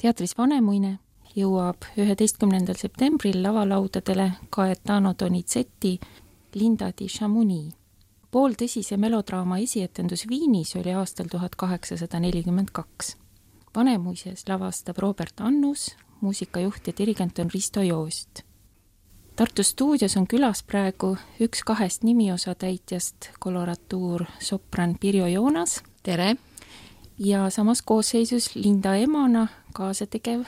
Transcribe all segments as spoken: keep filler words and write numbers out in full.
Teatris Vanemuine jõuab üheteistkümnendal septembril lavalaudadele Gaetano Donizetti Linda di Chamonix. Pooltõsise melodraama esietendus Viinis oli aastal tuhat kaheksasada nelikümmend kaks. Vanemuises lavastab Robert Annus, muusikajuht ja dirigent on Risto Joost. Tartu stuudios on külas praegu üks kahest nimiosa täitjast, koloratuur sopran Pirjo Joonas. Tere! Ja samas koosseisus Linda emana kaasategev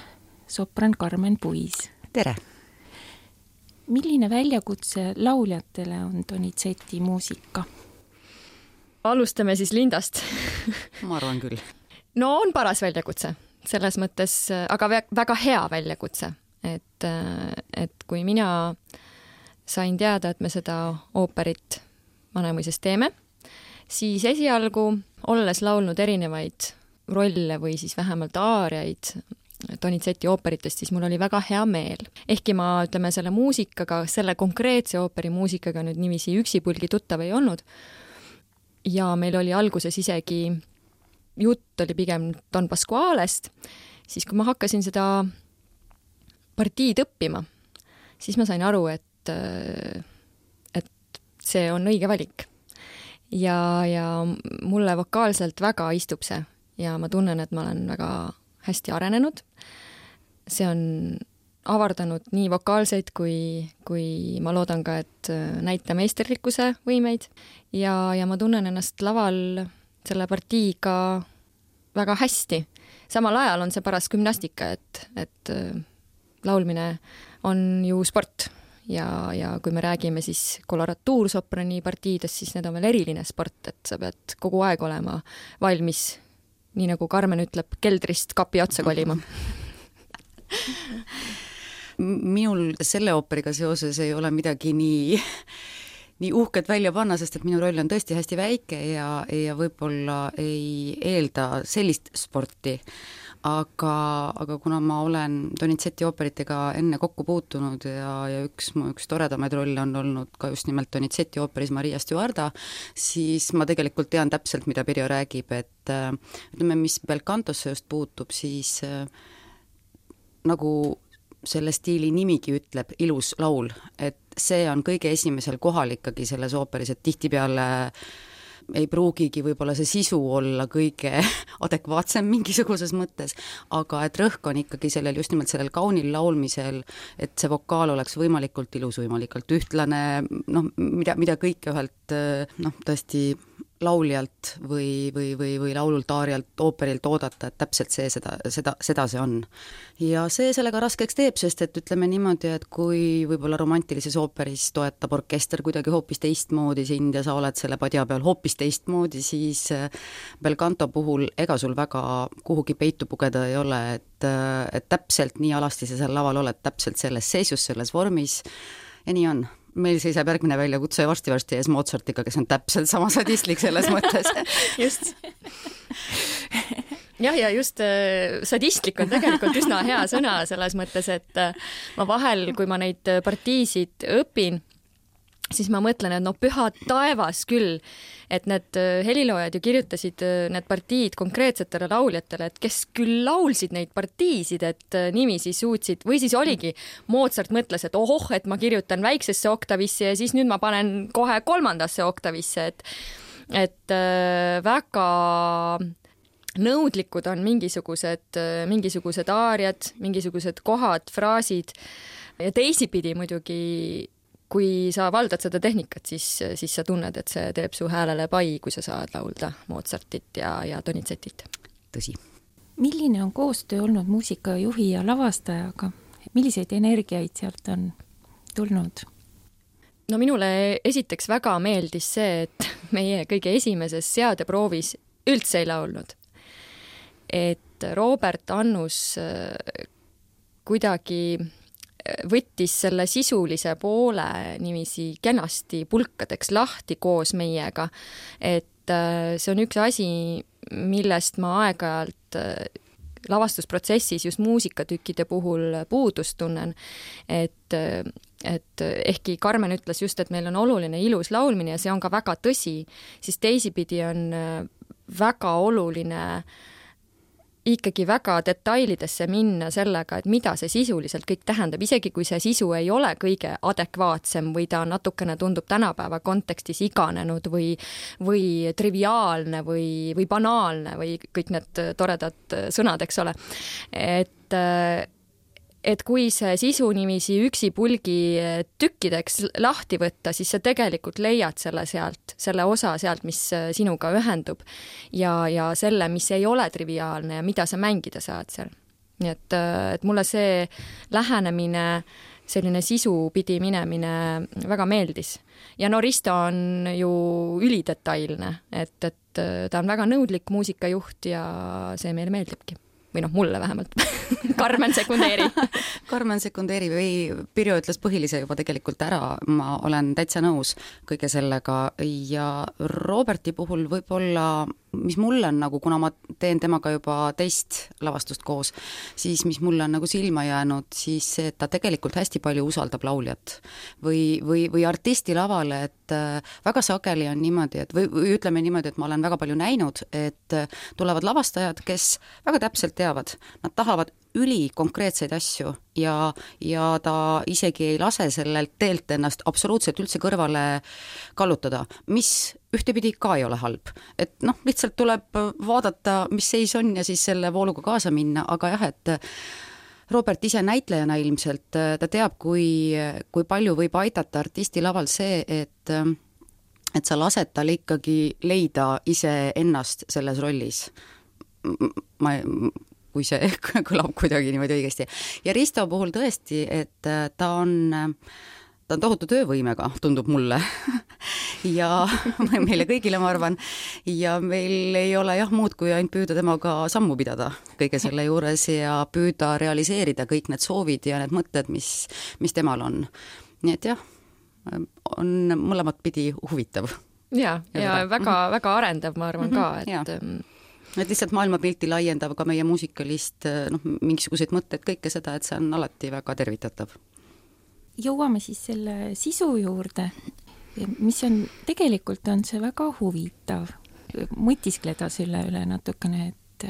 sopran Karmen Puis. Tere! Milline väljakutse lauljatele on Donizetti muusika? Alustame siis Lindast. Ma arvan küll. No on paras väljakutse, selles mõttes, aga väga hea väljakutse. Et, et kui mina sain teada, et me seda ooperit Vanemuises teeme, siis esialgu, olles laulnud erinevaid rolle või siis vähemalt aariaid Donizetti ooperitest, siis mul oli väga hea meel. Ehkki ma, ütleme, selle muusikaga, selle konkreetse ooperi muusikaga nüüd nimisi üksipulgi tuttav ei olnud. Ja meil oli alguses isegi jutt oli pigem Don Pasqualest, siis kui ma hakkasin seda partiid õppima, siis ma sain aru, et, et see on õige valik. Ja, ja mulle vokaalselt väga istub see ja ma tunnen, et ma olen väga hästi arenenud. See on avardanud nii vokaalseid kui, kui ma loodan ka, et näitemeisterlikkuse võimeid ja, ja ma tunnen ennast laval selle partiiga väga hästi. Samal ajal on see paras gümnastika, et, et laulmine on ju sport ja, ja kui me räägime siis koloratuursoprani partiidest, siis need on veel eriline sport, et sa pead kogu aeg olema valmis, nii nagu Karmen ütleb, keldrist kapi otsa kolima. Minul selle ooperiga seoses ei ole midagi nii, nii uhket välja panna, sest et minu roll on tõesti hästi väike ja, ja võib-olla ei eelda sellist sporti. Aga, aga kuna ma olen Donizetti ooperitega enne kokku puutunud ja, ja üks, üks toredamaid rolle on olnud ka just nimelt Donizetti ooperis Maria Stuarda, siis ma tegelikult tean täpselt, mida Pirjo räägib, et ütleme, mis Belcantosse just puutub, siis äh, nagu selle stiili nimigi ütleb, ilus laul, et see on kõige esimesel kohal ikkagi selles ooperis, et tihtipeale ei pruugigi võib-olla see sisu olla kõige adekvaatsem mingisuguses mõttes, aga et rõhk on ikkagi sellel, just nimelt sellel kaunil laulmisel, et see vokaal oleks võimalikult ilus, võimalikult ühtlane, noh, mida, mida kõike ühelt, noh, tõesti lauljalt või, või, või, või laulult, aarialt, ooperilt oodata, et täpselt see, seda, seda, seda see on. Ja see sellega raskeks teeb, sest et ütleme niimoodi, et kui võib-olla romantilises ooperis toetab orkester kuidagi hoopis teistmoodi sind ja sa oled selle padja peal hoopis teistmoodi, siis Belcanto puhul ega sul väga kuhugi peitu pugeda ei ole, et, et täpselt nii alasti sa seal laval oled, täpselt selles seisus, selles vormis ja nii on. Meil seisab järgmine väljakutse varsti-varsti ees Mozartiga, kes on täpselt sama sadistlik selles mõttes. Just. Jah, ja just sadistlik on tegelikult üsna hea sõna selles mõttes, et ma vahel, kui ma neid partiisid õpin, siis ma mõtlen, et no püha taevas küll, et need heliloojad ju kirjutasid need partiid konkreetsetele lauljatele, et kes küll laulsid neid partiisid, et nimisi suutsid, või siis oligi, Mozart mõtles, et ohoh, et ma kirjutan väiksesse oktavisse ja siis nüüd ma panen kohe kolmandasse oktavisse, et, et väga nõudlikud on mingisugused, mingisugused aariad, mingisugused kohad, fraasid ja teisipidi muidugi kui sa valdad seda tehnikat, siis, siis sa tunned, et see teeb su häälele pai, kui sa saad laulda Mozartit ja, ja Donizettit. Tõsi. Milline on koostöö olnud muusikajuhi ja lavastajaga? Milliseid energiaid sealt on tulnud? No minule esiteks väga meeldis see, et meie kõige esimeses seadeproovis üldse ei laulnud. Et Robert Annus kuidagi võttis selle sisulise poole nimisi kenasti pulkadeks lahti koos meiega, et see on üks asi, millest ma aeg-ajalt lavastusprotsessis just muusikatükkide puhul puudust tunnen, et, et ehkki Karmen ütles just, et meil on oluline ilus laulmine ja see on ka väga tõsi, siis teisipidi on väga oluline ikkagi väga detailidesse minna sellega, et mida see sisuliselt kõik tähendab, isegi kui see sisu ei ole kõige adekvaatsem või ta natukene tundub tänapäeva kontekstis iganenud või, või triviaalne või, või banaalne või kõik need toredad sõnad, eks ole. Et et kui see sisu nimisi üksipulgi tükkideks lahti võtta, siis sa tegelikult leiad selle sealt, selle osa sealt, mis sinuga ühendub ja, ja selle, mis ei ole triviaalne ja mida sa mängida saad seal. Nii et, et mulle see lähenemine, selline sisu pidi minemine väga meeldis. Ja no Risto on ju ülidetailne, et, et ta on väga nõudlik muusikajuht ja see meile meeldibki. Või noh, mulle vähemalt. Karmen sekundeeri. Karmen sekundeeri või Pirjo ütles põhilise juba tegelikult ära, ma olen täitsa nõus kõige sellega ja Roberti puhul võib-olla, mis mulle on nagu, kuna ma teen temaga juba teist lavastust koos, siis mis mulle on nagu silma jäänud, siis see, et ta tegelikult hästi palju usaldab lauljat või, või, või artisti lavale, et väga sageli on niimoodi, et või, või ütleme niimoodi, et ma olen väga palju näinud, et tulevad lavastajad, kes väga täpselt teavad, nad tahavad üli konkreetseid asju ja, ja ta isegi ei lase sellelt teelt ennast absoluutselt üldse kõrvale kallutada, mis ühtepidi ka ei ole halb. Et noh, lihtsalt tuleb vaadata, mis seis on ja siis selle vooluga kaasa minna, aga jah, et Robert ise näitlejana ilmselt, ta teab, kui, kui palju võib aidata artisti laval see, et et sa lased tal ikkagi leida ise ennast selles rollis. Ma kui see kõlab kuidagi niimoodi õigesti. Ja Risto puhul tõesti, et ta on, ta on tohutu töövõimega, tundub mulle. ja meile kõigile, ma arvan, ja meil ei ole jah muud, kui ainult püüda temaga sammu pidada kõige selle juures ja püüda realiseerida kõik need soovid ja need mõtted, mis, mis temal on. Nii et jah, on mõlemat pidi huvitav. Ja, ja, ja väga, väga arendav, ma arvan ka, et... Ja. Et lihtsalt maailmapilti laiendav ka meie muusikalist noh, mingisuguseid mõtted, kõike seda, et see on alati väga tervitatav. Jõuame siis selle sisu juurde, mis on, tegelikult on see väga huvitav mõtiskleda selle üle natukene, et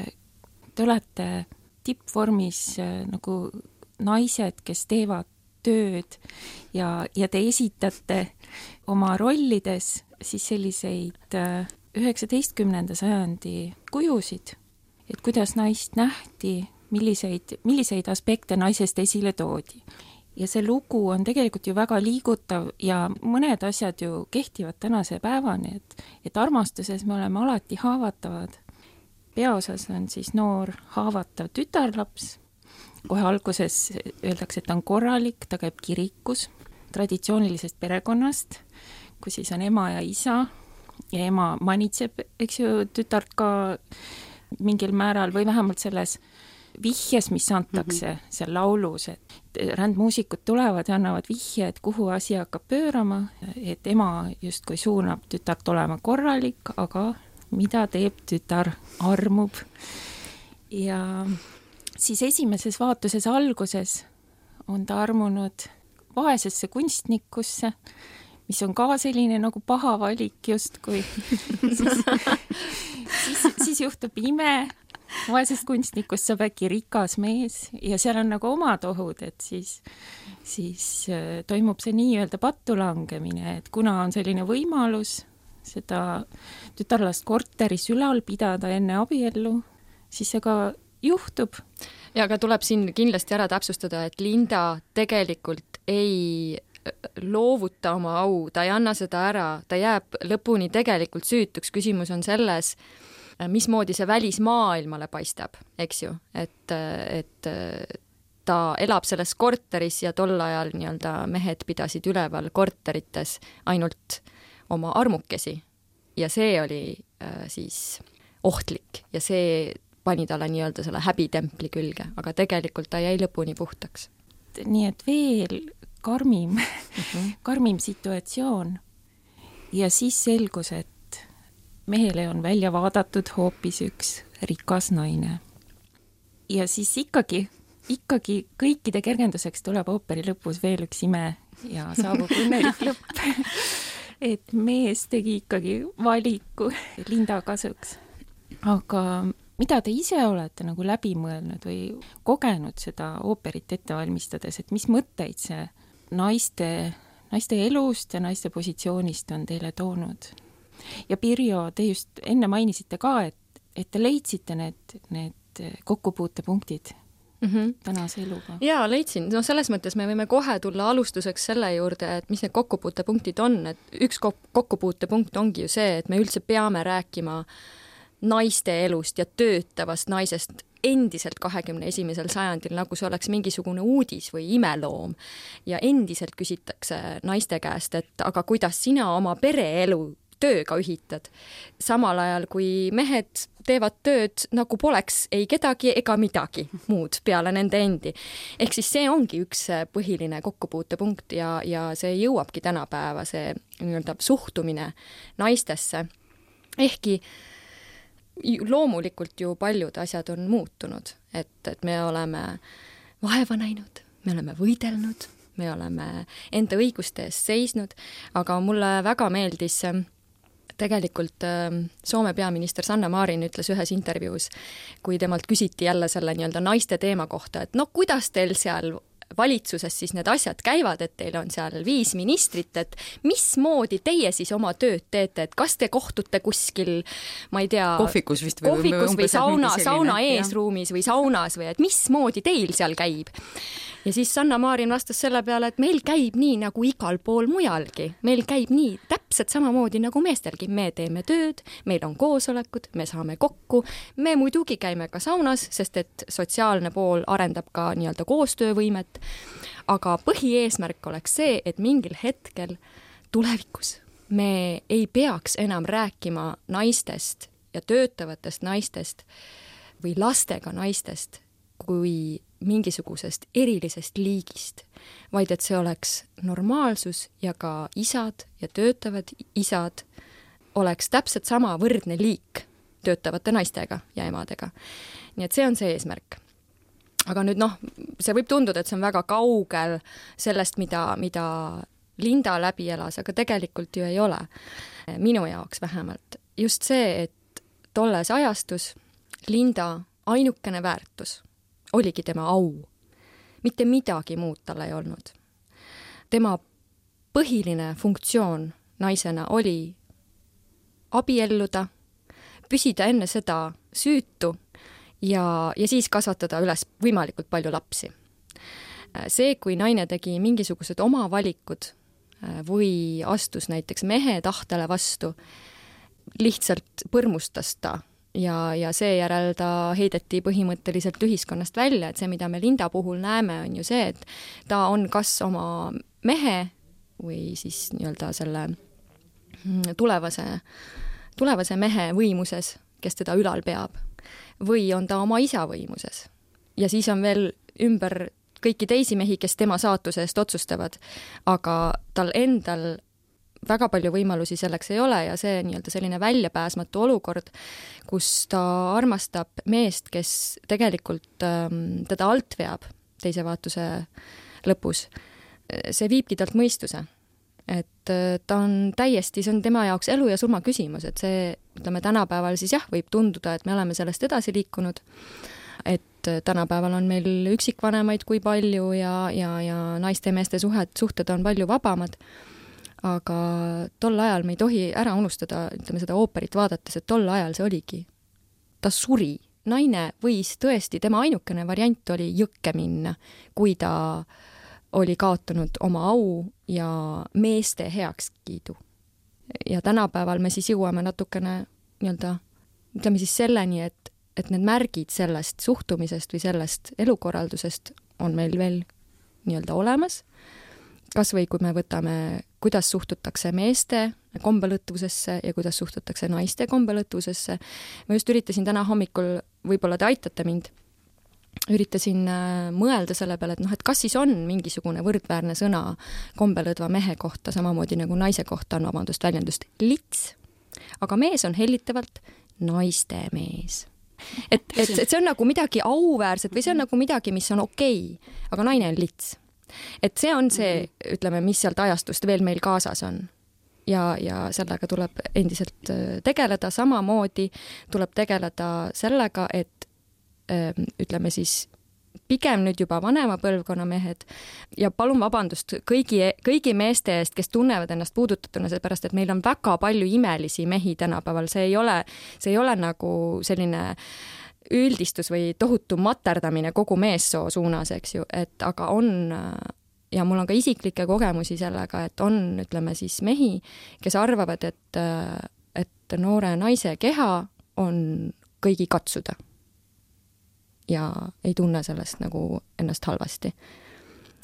te olete tippvormis nagu naised, kes teevad tööd ja, ja te esitate oma rollides siis selliseid üheksateistkümnenda sajandi kujusid, et kuidas naist nähti, milliseid, milliseid aspekte naisest esile toodi. Ja see lugu on tegelikult ju väga liigutav ja mõned asjad ju kehtivad tänase päevani, et, et armastuses me oleme alati haavatavad. Peaosas on siis noor haavatav tütarlaps. Kohe alguses öeldakse, et ta on korralik, ta käib kirikus traditsioonilisest perekonnast, kus siis on ema ja isa, ja ema manitseb, eks ju, tütart ka mingil määral või vähemalt selles vihjes, mis antakse mm -hmm. seal laulus, et rändmuusikud tulevad ja annavad vihje, et kuhu asi hakkab pöörama, et ema justkui suunab tütart olema korralik, aga mida teeb tütar, armub. Ja siis esimeses vaatuses alguses on ta armunud vaesesse kunstnikusse, mis on ka selline nagu paha valik justkui. siis, siis, siis juhtub ime, vaesest kunstnikust saab äkki rikas mees ja seal on nagu omad ohud, et siis, siis toimub see nii-öelda pattu langemine, et kuna on selline võimalus seda tütarlast korteris ülal pidada enne abiellu, siis see ka juhtub. Ja aga tuleb siin kindlasti ära täpsustada, et Linda tegelikult ei loovuta oma au, ta ei anna seda ära, ta jääb lõpuni tegelikult süütuks. Küsimus on selles, mismoodi see välismaailmale paistab, eks ju, et, et ta elab selles korteris ja tol ajal nii-öelda mehed pidasid üleval korterites ainult oma armukesi ja see oli äh, siis ohtlik ja see pani talle nii-öelda selle häbitempli külge, aga tegelikult ta jäi lõpuni puhtaks. Nii et veel karmim, mm-hmm. karmim situatsioon ja siis selgus, et mehele on välja vaadatud hoopis üks rikas naine. Ja siis ikkagi, ikkagi kõikide kergenduseks tuleb ooperi lõpus veel üks ime ja saabub õnnelik lõpp. Et mees tegi ikkagi valiku Linda kasuks. Aga mida te ise olete nagu läbi mõelnud või kogenud seda ooperit ette valmistades, et mis mõtteid see naiste, naiste elust ja naiste positsioonist on teile toonud? Ja Pirjo, te just enne mainisite ka, et, et te leidsite need, need kokkupuutepunktid mm -hmm. tänase eluga. Jaa, leidsin. No selles mõttes me võime kohe tulla alustuseks selle juurde, et mis need kokkupuutepunktid on, et üks kokkupuutepunkt ongi ju see, et me üldse peame rääkima naiste elust ja töötavast naisest endiselt kahekümne esimesel sajandil, nagu see oleks mingisugune uudis või imeloom. Ja endiselt küsitakse naiste käest, et aga kuidas sina oma pereelu tööga ühitad. Samal ajal, kui mehed teevad tööd, nagu poleks ei kedagi ega midagi muud peale nende endi. Ehk siis see ongi üks põhiline kokkupuutepunkt ja, ja see jõuabki tänapäeva, see nii-öelda suhtumine naistesse. Ehkki loomulikult ju paljud asjad on muutunud, et, et me oleme vaeva näinud, me oleme võidelnud, me oleme enda õiguste eest seisnud, aga mulle väga meeldis tegelikult Soome peaminister Sanna Marin ütles ühes intervjuus, kui temalt küsiti jälle selle nii-öelda naiste teema kohta, et no kuidas teil seal valitsuses siis need asjad käivad, et teil on seal viis ministrit, et mismoodi teie siis oma tööd teete, et kas te kohtute kuskil, ma ei tea, kohvikus vist või, kohvikus või sauna, sauna eesruumis või saunas või et mismoodi teil seal käib? Ja siis Sanna Marin vastas selle peale, et meil käib nii nagu igal pool mujalgi. Meil käib nii täpselt samamoodi nagu meestelgi. Me teeme tööd, meil on koosolekud, me saame kokku, me muidugi käime ka saunas, sest et sotsiaalne pool arendab ka nii-öelda koostöövõimet. Aga põhieesmärk oleks see, et mingil hetkel tulevikus me ei peaks enam rääkima naistest ja töötavatest naistest või lastega naistest kui mingisugusest erilisest liigist, vaid et see oleks normaalsus ja ka isad ja töötavad isad oleks täpselt sama võrdne liik töötavate naistega ja emadega. Nii et see on see eesmärk. Aga nüüd noh, see võib tunduda, et see on väga kaugel sellest, mida, mida Linda läbi elas, aga tegelikult ju ei ole. Minu jaoks vähemalt. Just see, et tolles ajastus Linda ainukene väärtus oligi tema au. Mitte midagi muud tal ei olnud. Tema põhiline funktsioon naisena oli abielluda, püsida enne seda süütu ja, ja siis kasvatada üles võimalikult palju lapsi. See, kui naine tegi mingisugused oma valikud või astus näiteks mehe tahtele vastu, lihtsalt põrmustas ta ja, ja seejärel ta heideti põhimõtteliselt ühiskonnast välja, et see, mida me Linda puhul näeme, on ju see, et ta on kas oma mehe või siis nii-öelda selle tulevase, tulevase mehe võimuses, kes teda ülal peab, või on ta oma isa võimuses. Ja siis on veel ümber kõiki teisi mehi, kes tema saatuse eest otsustavad, aga tal endal väga palju võimalusi selleks ei ole ja see nii-öelda selline väljapääsmatu olukord, kus ta armastab meest, kes tegelikult ähm, teda alt veab teise vaatuse lõpus. See viibki talt mõistuse. Et ta on täiesti, see on tema jaoks elu ja surma küsimus, et see, ütleme, tänapäeval siis jah, võib tunduda, et me oleme sellest edasi liikunud, et tänapäeval on meil üksikvanemaid kui palju ja, ja, ja naiste ja meeste suhed, suhted on palju vabamad, aga tol ajal me ei tohi ära unustada, ütleme seda ooperit vaadates, et tol ajal see oligi. Ta suri. Naine võis tõesti, tema ainukene variant oli jõkke minna, kui ta oli kaotanud oma au ja meeste heakskiidu. Ja tänapäeval me siis jõuame natukene nii-öelda, ütleme siis selleni, et, et need märgid sellest suhtumisest või sellest elukorraldusest on meil veel nii-öelda olemas. Kas või kui me võtame, kuidas suhtutakse meeste kombelõtvusesse ja kuidas suhtutakse naiste kombelõtvusesse. Ma just üritasin täna hommikul, võib-olla te aitate mind, üritasin mõelda selle peale, et noh, et kas siis on mingisugune võrdväärne sõna kombelõdva mehe kohta, samamoodi nagu naise kohta on, vabandust, väljendust lits, aga mees on hellitavalt naiste mees. Et, et, et see on nagu midagi auväärset või see on nagu midagi, mis on okei, aga naine on lits. Et see on see, ütleme, mis sealt ajastust veel meil kaasas on. ja, ja sellega tuleb endiselt tegeleda, samamoodi tuleb tegeleda sellega, et ütleme siis pigem nüüd juba vanema põlvkonna mehed ja palun vabandust kõigi, kõigi meeste eest, kes tunnevad ennast puudutatuna, seepärast, et meil on väga palju imelisi mehi tänapäeval, see ei ole, see ei ole nagu selline üldistus või tohutu materdamine kogu meessoo suunas, eks ju, et aga on, ja mul on ka isiklikke kogemusi sellega, et on, ütleme siis mehi, kes arvavad, et, et noore naise keha on kõigi katsuda. Ja ei tunne sellest nagu ennast halvasti.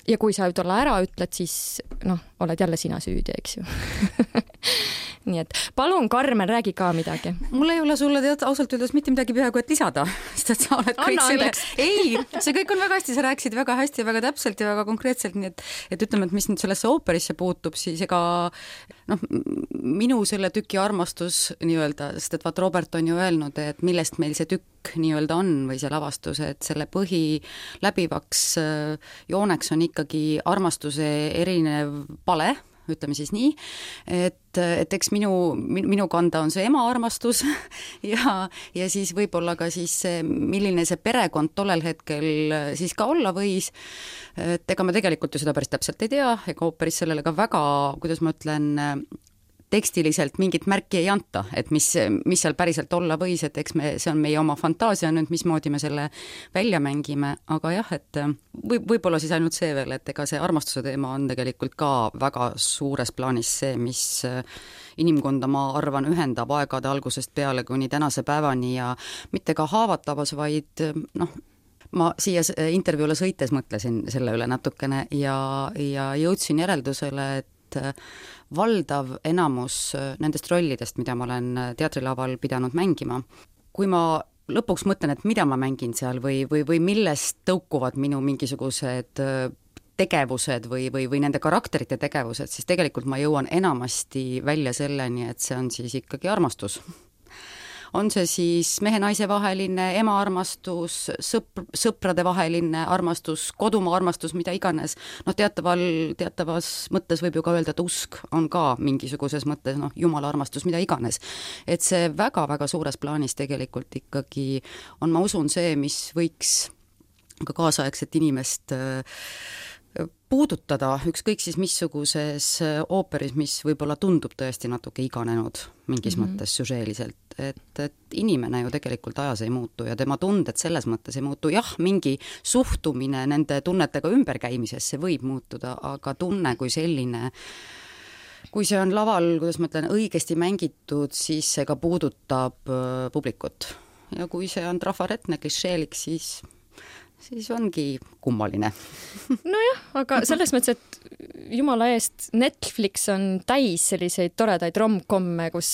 Ja kui sa tolle ära ütled, siis noh, oled jälle sina süüdi, eks ju. Nii et palun, Karmen, räägi ka midagi. Mul ei ole sulle tead ausalt öeldes mitte midagi peaaegu et lisada, sest et sa oled kõik Anna selle... Ei, see kõik on väga hästi, sa rääkisid väga hästi ja väga täpselt ja väga konkreetselt, nii et, et ütleme, et mis nüüd sellesse ooperisse puutub, siis ega noh, minu selle tüki armastus nii-öelda, sest et vaat Robert on ju öelnud, et millest meil see tükk nii-öelda on või see lavastus, et selle põhi läbivaks jooneks on ikkagi armastuse erinev pale, ütleme siis nii, et, et eks minu, minu kanda on see ema armastus ja, ja siis võib-olla ka siis see, milline see perekond tollel hetkel siis ka olla võis, et ega me tegelikult ju seda päris täpselt ei tea, ega ooperis sellele ka väga, kuidas ma ütlen, tekstiliselt mingit märki ei anta, et mis, mis seal päriselt olla võis, et eks me, see on meie oma fantaasia nüüd, mismoodi me selle välja mängime, aga jah, et või, võib-olla siis ainult see veel, et ega see armastuse teema on tegelikult ka väga suures plaanis see, mis inimkonda, ma arvan, ühendab aegade algusest peale kuni tänase päevani ja mitte ka haavatavas, vaid noh, ma siia intervjuule sõites mõtlesin selle üle natukene ja, ja jõudsin järeldusele, et valdav enamus nendest rollidest, mida ma olen teatrilaval pidanud mängima, kui ma lõpuks mõtlen, et mida ma mängin seal või, või, või millest tõukuvad minu mingisugused tegevused või, või, või nende karakterite tegevused, siis tegelikult ma jõuan enamasti välja selleni, et see on siis ikkagi armastus. On see siis mehe-naise vaheline ema-armastus, sõpr, sõprade vaheline armastus, kodumaa armastus, mida iganes. No teataval, teatavas mõttes võib ju ka öelda, et usk on ka mingisuguses mõttes, noh, jumala armastus, mida iganes. Et see väga-väga suures plaanis tegelikult ikkagi on, ma usun, see, mis võiks ka kaasaegset inimest puudutada, ükskõik siis missuguses ooperis, mis võib-olla tundub tõesti natuke iganenud mingis mm-hmm. mõttes süžeeliselt, et, et inimene ju tegelikult ajas ei muutu ja tema tunded selles mõttes ei muutu, jah, mingi suhtumine nende tunnetega ümberkäimisesse võib muutuda, aga tunne kui selline, kui see on laval, kuidas ma ütlen, õigesti mängitud, siis see ka puudutab publikut ja kui see on trafaretne klišeelik, siis siis ongi kummaline. Nojah, aga selles mõttes, et jumala eest Netflix on täis selliseid toredaid rom-komme, kus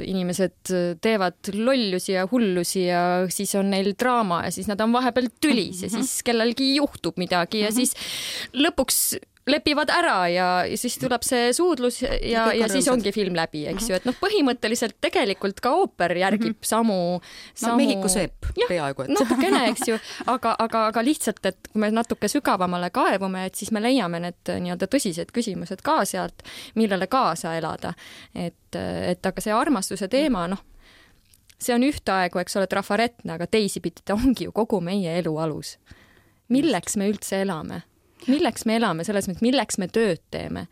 inimesed teevad lollusi ja hullusi ja siis on neil draama ja siis nad on vahepeal tülis ja siis kellelgi juhtub midagi ja siis lõpuks lepivad ära ja, ja siis tuleb see suudlus ja, ja siis ongi film läbi, eks ju, et noh, põhimõtteliselt tegelikult ka ooper järgib mm-hmm. samu, samu... No Mehhiku seep peaaegu, et natukene, eks ju, aga, aga, aga lihtsalt, et kui me natuke sügavamale kaevume, et siis me leiame need nii-öelda tõsised küsimused ka sealt, millele kaasa elada. Et, et aga see armastuse teema, noh, see on ühtaegu, eks ole, trafaretne, aga teisipidi ta ongi ju kogu meie elu alus. Milleks me üldse elame? Milleks me elame, selles mõttes, milleks me tööd teeme.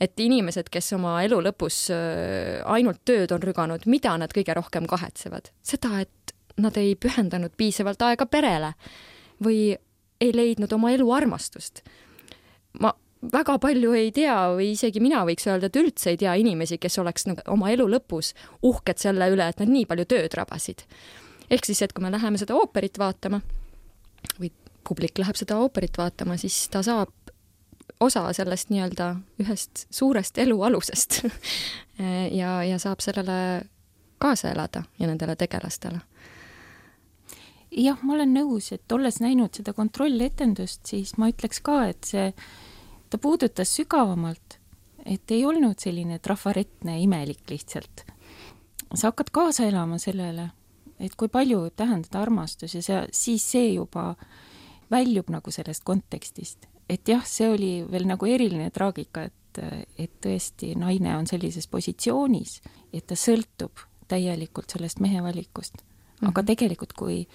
Et inimesed, kes oma elu lõpus ainult tööd on rüganud, mida nad kõige rohkem kahetsevad? Seda, et nad ei pühendanud piisavalt aega perele või ei leidnud oma elu armastust. Ma väga palju ei tea või isegi mina võiks öelda, et üldse ei tea inimesi, kes oleks oma elu lõpus uhked selle üle, et nad nii palju tööd rabasid. Ehk siis, et kui me läheme seda ooperit vaatama või publik läheb seda ooperit vaatama, siis ta saab osa sellest nii-öelda ühest suurest elu alusest ja, ja saab sellele kaasa elada ja nendele tegelastele. Jah, ma olen nõus, et olles näinud seda kontrolletendust, siis ma ütleks ka, et see, ta puudutas sügavamalt, et ei olnud selline trafaretne imelik lihtsalt. Sa hakkad kaasa elama sellele, et kui palju tähendada armastus ja see, siis see juba väljub nagu sellest kontekstist. Et jah, see oli veel nagu eriline traagika, et et, et tõesti naine on sellises positsioonis, et ta sõltub täielikult sellest mehe valikust. Aga mm-hmm. tegelikult, kui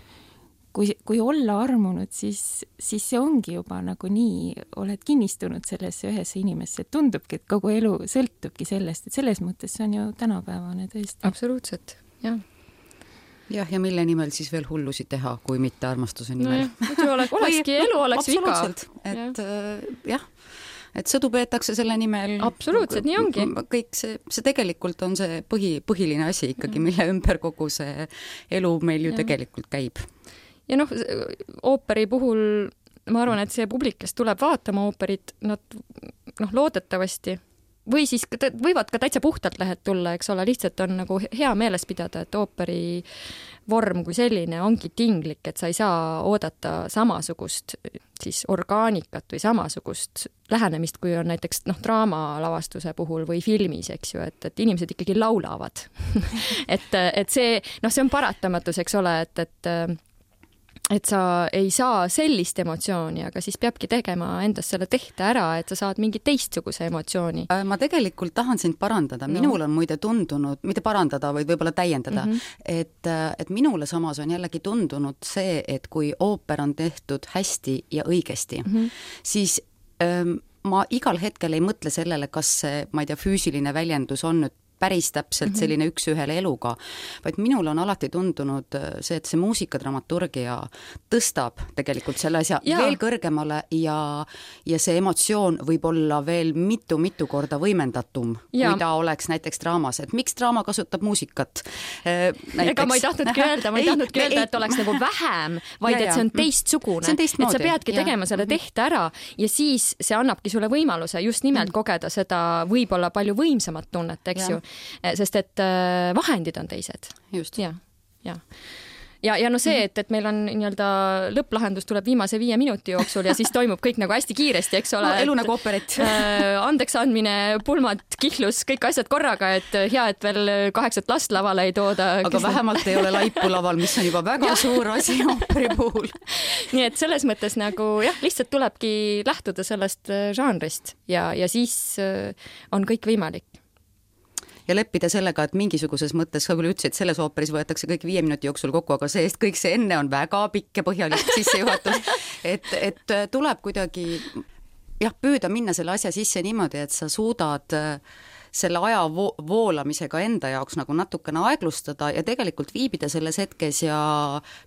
Kui, kui olla armunud, siis, siis see ongi juba nagu nii, oled kinnistunud sellesse ühesse inimesse, et tundubki, et kogu elu sõltubki sellest, et selles mõttes see on ju tänapäevane tõesti. Absoluutselt, jah. Jah, ja mille nimel siis veel hullusi teha, kui mitte armastuse nimel. No, muidu oleks, olekski elu, oleks viga. Et jah. jah, et sõdu peetakse selle nimel. Absoluutselt, nii ongi. Kõik see, see tegelikult on see põhi, põhiline asi ikkagi, mille ümber kogu see elu meil ju ja. Tegelikult käib. Ja noh, ooperi puhul ma arvan, et see publik, kes tuleb vaatama ooperit, nad noh, loodetavasti või siis võivad ka täitsa puhtalt lehet tulla, eks ole, lihtsalt on nagu hea meeles pidada, et ooperi vorm kui selline ongi tinglik, et sa ei saa oodata samasugust siis orgaanikat või samasugust lähenemist, kui on näiteks noh, draamalavastuse puhul või filmis, eks ju, et, et inimesed ikkagi laulavad. et, et see, noh, see on paratamatus, eks ole, et, et et sa ei saa sellist emotsiooni, aga siis peabki tegema endast selle tehte ära, et sa saad mingi teistsuguse emotsiooni. Ma tegelikult tahan sind parandada. No. Minul on muide tundunud, mitte parandada, vaid võib-olla täiendada, mm -hmm. et, et minule samas on jällegi tundunud see, et kui ooper on tehtud hästi ja õigesti, mm -hmm. siis ähm, ma igal hetkel ei mõtle sellele, kas see, ma ei tea, füüsiline väljendus on nüüd päris täpselt selline üks ühele eluga, vaid minul on alati tundunud see, et see muusikadramaturgia tõstab tegelikult selle asja ja. Veel kõrgemale ja, ja see emotsioon võib olla veel mitu-mitu korda võimendatum, ja. Kui ta oleks näiteks draamas, et miks draama kasutab muusikat? Näiteks... Ega ma ei tahtnudki öelda, ma ei, ei tahtnudki öelda, et oleks nagu vähem, vaid ja, ja. Et see on teistsugune, see on et sa peadki ja. Tegema selle tehte ära ja siis see annabki sulle võimaluse just nimelt mm. kogeda seda võib-olla palju võimsamat tunnet, eks ja. Ju. Sest et vahendid on teised. Just. Ja, ja. Ja, ja no see, et, et meil on nii-öelda lõpplahendus tuleb viimase viie minuti jooksul ja siis toimub kõik nagu hästi kiiresti, eks ole. No, elu nagu operit. Äh, andeks andmine, pulmad, kihlus, kõik asjad korraga, et hea, et veel kaheksat last lavale ei tooda. Aga kes... vähemalt ei ole laipu laval, mis on juba väga suur asi operi puhul. Nii et selles mõttes nagu jah, lihtsalt tulebki lähtuda sellest žanrist ja, ja siis on kõik võimalik. Ja leppida sellega, et mingisuguses mõttes, ka küll ütlesid, et selles ooperis võetakse kõik viie minuti jooksul kokku, aga see eest kõik see enne on väga pikk ja põhjalik sissejuhatus, et, et tuleb kuidagi jah, püüda minna selle asja sisse niimoodi, et sa suudad selle aja vo- voolamisega enda jaoks nagu natukene aeglustada ja tegelikult viibida selles hetkes ja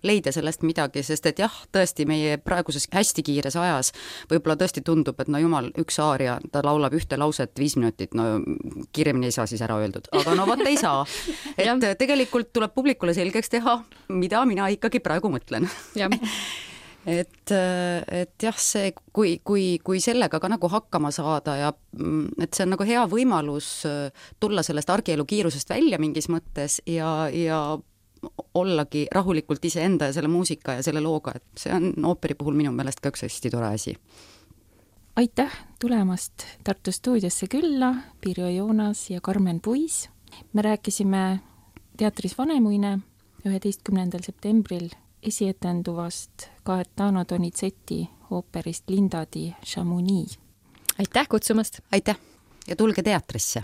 leida sellest midagi, sest et jah, tõesti meie praeguses hästi kiires ajas võib-olla tõesti tundub, et no jumal, üks aaria, ta laulab ühte lauset viis minutit, no kiiremini ei saa siis ära öeldud, aga no vot ei saa. Et tegelikult tuleb publikule selgeks teha, mida mina ikkagi praegu mõtlen. Jah. Et, et jah, see, kui, kui, kui sellega ka nagu hakkama saada ja et see on nagu hea võimalus tulla sellest argielu kiirusest välja mingis mõttes ja, ja ollagi rahulikult iseenda ja selle muusika ja selle looga, et see on ooperi puhul minu meelest ka üks hästi tore asi. Aitäh tulemast Tartu stuudiosse külla, Pirjo Joonas ja Karmen Puis. Me rääkisime teatris Vanemuine üheteistkümnendal septembril esietenduvast Gaetano Donizetti ooperist Linda di Chamonix. Aitäh kutsumast! Aitäh ja tulge teatrisse!